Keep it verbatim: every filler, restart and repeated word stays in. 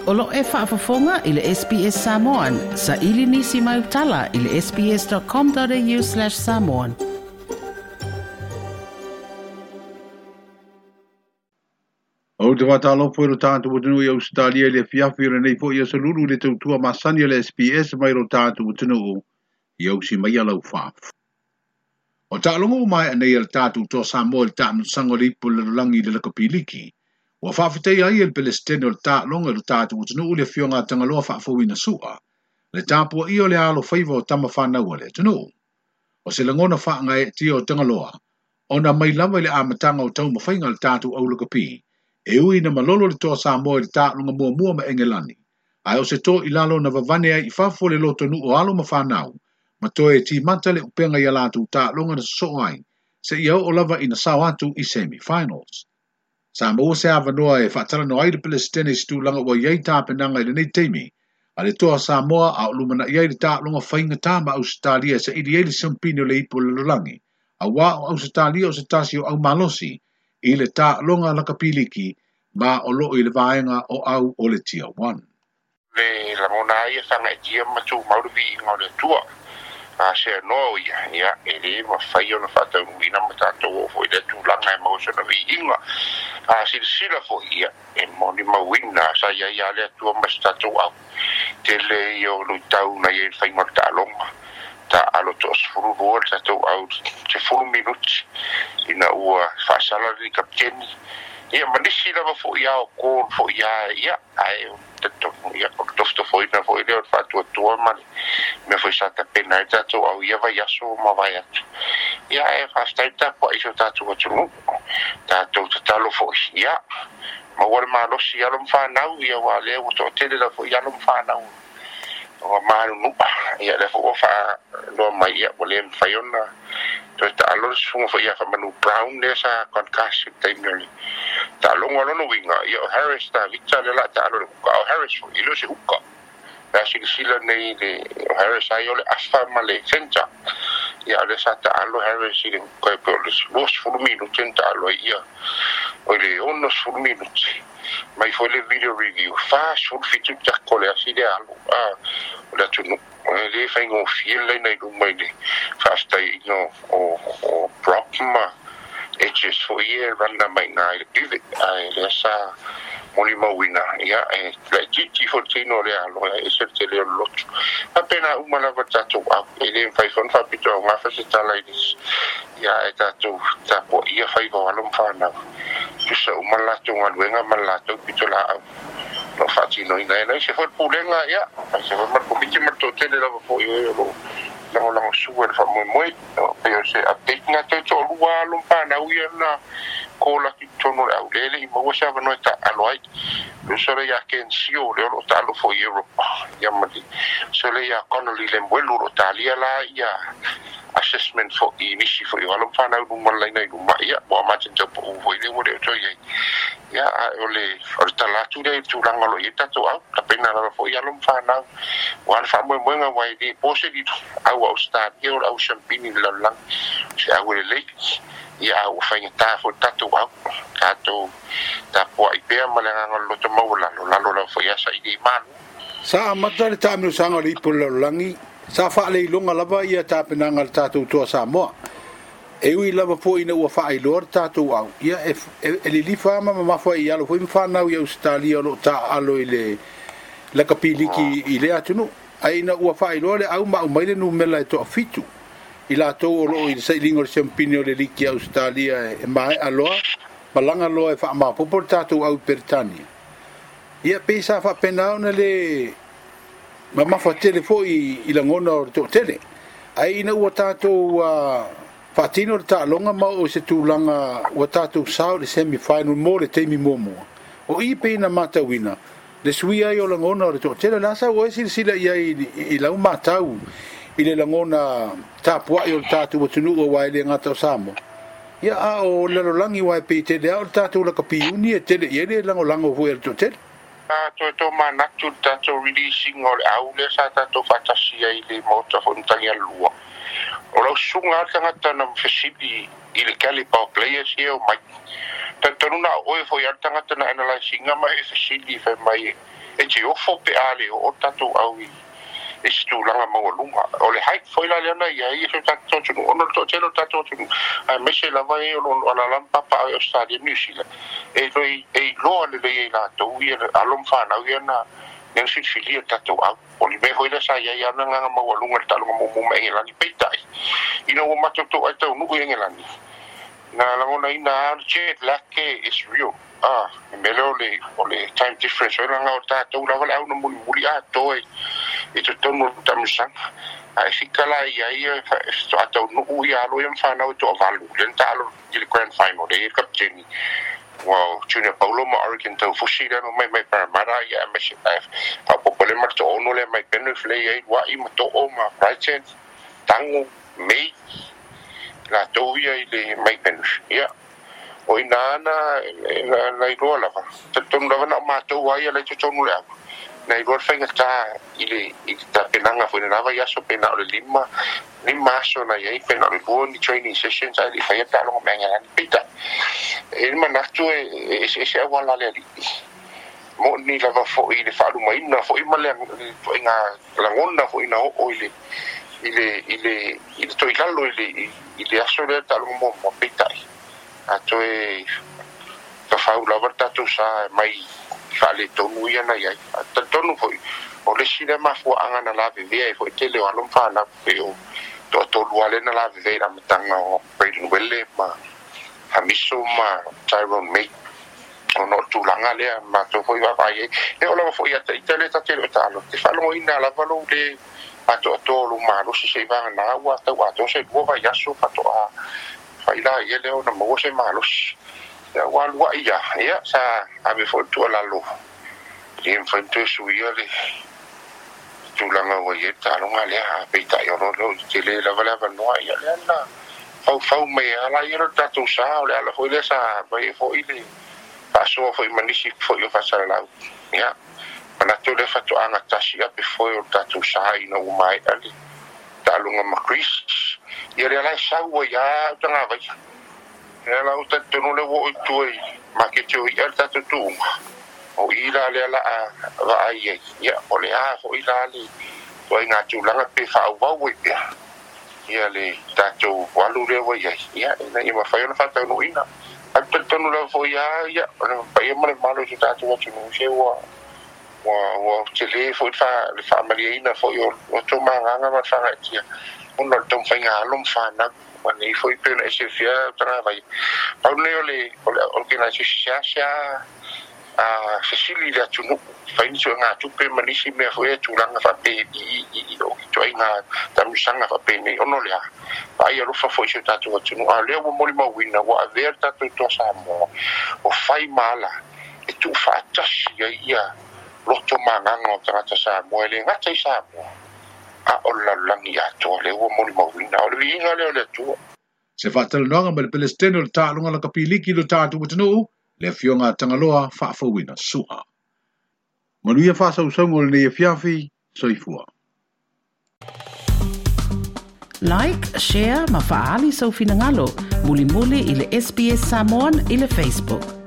O lo e faafofoga i le S B S Samoan. Sa ili nisi mai utala i le sbs.com.au slash samoan. O te wātālopo e lo tātou atunuu i Australia i le fiafi o lenei foi aso lulu i le tautua masani o le S B S mai lo tātou atunuu i ausi mai a lau whaaf. O taaloga o mai anei a le tātou toa Samoa i le taamilosaga o le ipu o le lalolagi i le lakapiliki. Ua faafetai ai e le Pelestene o le taaloga i lo tātou atunuu le afioga a Tagaloa faafouina sua, le tapuaia o le alo faiva o tama whanau a le atunuu. O se lagona faagaeetia o Tagaloa, ona mai lava i le amataga o taumafaiga a le tātou au lakapi, e ui na malolo le toa Samoa i le taaloga muamua ma Engelani, ae o se toa i lalo na vavane ai i fafo le lotonuu o alo ma whanau, ma toe timata le upenga i a latou taaloga na sosoo ai, seia oo lava ina sao atu i semi-finals. Sa maua se avanoa e faatalanoa ai le Pelestene i se tulaga ua iai tapenaga i lenei taimi, a le toa Samoa a o lumanai ai le taaloga faigata ma Ausetalia e saili ai le siampini o le ipu o le lalolagi, auā o Ausetalia o se tasi o aumalosi i le taaloga lakapiliki ma o loo i le vaega o au o le Tier one. Le lagona ai e whangaetia ma tūmau le viiga o le Atua. A se noa ia, ia, e le mawhai ona whātaunuina ma tātou o foi le tūlanga e maua sona viiga. A silasila foi ia, e moni mauina, sa ia ia le Atua ma se tātou au. Tele ia o luitau na ia i le whainga o le taaloga. Ta alo toa sefulu lua le tātou au, sefulu minuti, ina ua whaasala le kapiteni. Ia, ma nisi lava foi ia o kōl foi ia, ia, ae o totonu, ia, o le tofotofoina foi lea o le faatuatua ma le mea foi sa tapena ai tātou au ia vai aso ma vai atu. Ia, e faafetai tapuai i so tātou atunuu, tātou tatalo foi, ia, maua le malosi alo ma whanau, ia wā lea ua toatele la foi alo ma whanau. O malunu'a, ia lea foi ua faaloa mai, ia, ua le mawhai ona toe taalo le susuga foi ia Faamanu Brown lea sa concussion i le taimi o le taaloga o lona uiga, ia o Harris Tavita lea la taalo i le huka, o Harris foi, e le o se huka. La silasila nei le o Harris ai o le afa ma le centre. Ia o lea sa taalo Harris i le huka e pe o le luasefulu minuti na taalo ai ia, o le onosefulu minuti. Mai foi le video review, fasefulu fitu tako le asi le alo, a, o le atunuu. E le faigofie le laina i luma i le faafetaiina o, o Brock ma Edges foi e rana mai ngā i le pivot. Ae lea sa moni mauina, ia, e laitiiti foi le tino o le alo, e ese le tele o le lotu. Faapena uma lava tātou au, e le mawhai foi ona faapitoa o gafa se tala i le ia, e tātou tapuaia faiva o alo ma whanau. Tusa uma le latou galuega ma le latou pito laau. No faatinoina e nai se foi le pulega, ia, ai se foi ma le komiti ma le toatele lava foi oe o loo lagolago sua i le faamoemoe. O pei o se update ngā toe toalua alo ma whanau ia na kōla atu i totonu o le aulele i maua se avanoa e taalo ai. Uso le ia Ken Sio le o loo taalo foi i Europa. Ia ma le so le ia Connolly le Mwelu o loo talia la ia assessment foi i nisi foi o alo ma whanau luma le laina i luma. Ia, ua Martin Taupo foi le ua le o toi ai. Ia, a o le, o le tala atu lea i le tulaga o lo o i ai tātou au, tapena lava foi alo ma whanau. Ua le faamoemoega ua e le po se lilo, au a Australia o le au siampini i le lalolagi. Se au e lelei, ia a ua faigata foi le tātou au, tātou tapuai pea ma le agaga o le loto maualalo, lalo lava foi asa i le malu. Sa amata le taamilosaga o le ipu o le lalolagi, sa faaleiloga lava ia tapenaga a le tātou toa Samoa. E ui lava foi ina ua faailoa le tātou au, ia e, e, e lilifa ma mamafa i alo foi ma whanau i Australia o loo taalo i le lakapiliki i le atunuu. Ai ina ua faailoa le au ma au mai le numela e toa fitu i latou o loo i le sailiga o le siampini o le liki Australia e maea loa, malaga loa e faamapopo le tātou au i Peretania. Ia pei sa faapena ona le mamafa tele foi i lagona o le toatele. Ai ina ua tātou uh, faatino le taaloga ma oo i se tulaga ua tātou sao i le semi-final mo le taimi muamua. O i pei na matauina, le suia ai o lagona o le toatele, la sa ua e silasila i ai i, i lau matau i le lagona tapuai o le tātou atunuu aua e le gata o Samoa. Ia a o le lalolagi ua e pei tele ao le tātou lakapiuni e tele i ai le lagolago foi a le toatele. A toe tō manatu le tātou releasing o le au lea sa tātou faatasi ai i le maota foi matagi alulua. O lau susuga a le tagata na fesili i le caliber o players ia o mai. Talitonu na o oe foi a le tagata na analysinga ma e fesili fai mai E te ofo pe a le o tatou au i e se tulaga maualuga. O le height foi la lea na i ai se tatou atunuu ona o le toatele o le tatou atunuu aemaise lava e o lo o alaala ma papaao i Australia ma New Zealand e toe e iloa lelei ai latou ia alo ma fanau ia na lea na filifilia le tatou au. O le mea foi lea sa i ai lava le agaga maualuga i le taaloga muamua ma Engelani peitai ina ua matou toai taunuu i Engelani na lagonaina lava o le jet lag is real. Ah, le mea lea o le o le time difference foi leaga o tatou lava le au na mulimuli atoa i totonu o le taamilosaga. Ae fika la i ai e faatoa taunuu ia alo ia ma fanau e toavalu lea na taalo i le grand final lea i ai le kapiteni ua Junior Paulo ma Oregon Taufusi lea na omai mai Parramatta ia aemaise ae faaopoopo lea ma le toaono lea mai Penrith lea i ai Luai ma To'o ma Brighton Tago May latou ia i le mai Penrith. Ia o ina na na na iloa lava talitonu lava na o matou ai ia la i totonu o le au na iloa le faigata i le i le tapenaga foi lena vaiaso pe na o le lima lima aso na i ai pe na o le lua ni training sessions ae le i faia taaloga ma Engelani. Peitai e i ai le manatu e eseese auala a le alii moni lava foi i le faalumaina foi ma le ituaiga lagona foi na oo i le i le i le i le toilalo i le i le aso lea taaloga muamua. Peitai a toe fafau lava le tatou sa mai i faaletonu ia na i ai. Ae talitonu foi o le isi lea mafuaaga na lavevea ai foi tele o alo ma fanau pei o toatolu lava lea na lavevea i le amataga o Braden Welle ma Hamiso ma Tyrone May ona o le tulaga lea matou foi vaavaai ai. E oo lava foi ia ita lea ta te le o taalo te faalogoina lava lou le atoatoa o lou malosi se'i vagana ua tau atoa se lua vaiaso faatoa fai laia lea ona maua se malosi. Ia ua alua'i ia ia sa ave foi le tuualalo e le mafai ona toe suia le tulaga ua i ai le taaloga lea peitai o lo o tele lava le avanoa ia lea na faufau mai ai laia lo tatou sa o le ala foi lea sa aumai ai foi le faasoa foi ma nisi foi o faasalalau. Ia manatu lea faatoaga tasi ape foe o le tatou sa ina ua maea le taaloga ma Greece. Ia lea la e sau ai lava utagavaia. Lea la ua talitonu lea ua oo i tua i maketi o i'a le tatou tuuga. O i la lea la a vaai ai. Ia o le a foi la le ituaiga tulaga pe faaauau ai pea ia le tatou alu lea ua i ai. Ia ina ia mafai ona faataunuuina. Ae talitonu lava foi lava ia o le paia ma le mamalu o si o tatou atunuu se ua ua ua tele foi le faamalieina foi o o tou magaga ma le faagaeetia ona o le taumafaiga alo ma fanau ma nei foi pei ona e silafia utagavaia. Pau lenei o le o le organization seasea a fesili i le atunuu fai ni suegatupe ma nisi mea foi ia tulaga faapei i i o ituaiga taamilosaga faapenei ona o le a vaai alofa foi i si o tatou atunuu. A o lea ua molimauina ua avea le tatou Toa Samoa o fai ma ala e tuufaatasi ai ia loto ma agaga o tagata Samoa e le gata i Samoa a o le lalolagi atoa lea ua molimauina o le viiga lea o le Atua. Se faatalanoaga ma le Peresetene o le Taaloga Lakapi Liki i lo tatou atunuu, le Afioga a Tagaloa Faafouina Su'a. Manuia faasausauga o lenei afiafi, soifua. Like, share ma faaali sou finagalo mulimuli i le S B S Samoan i le Facebook.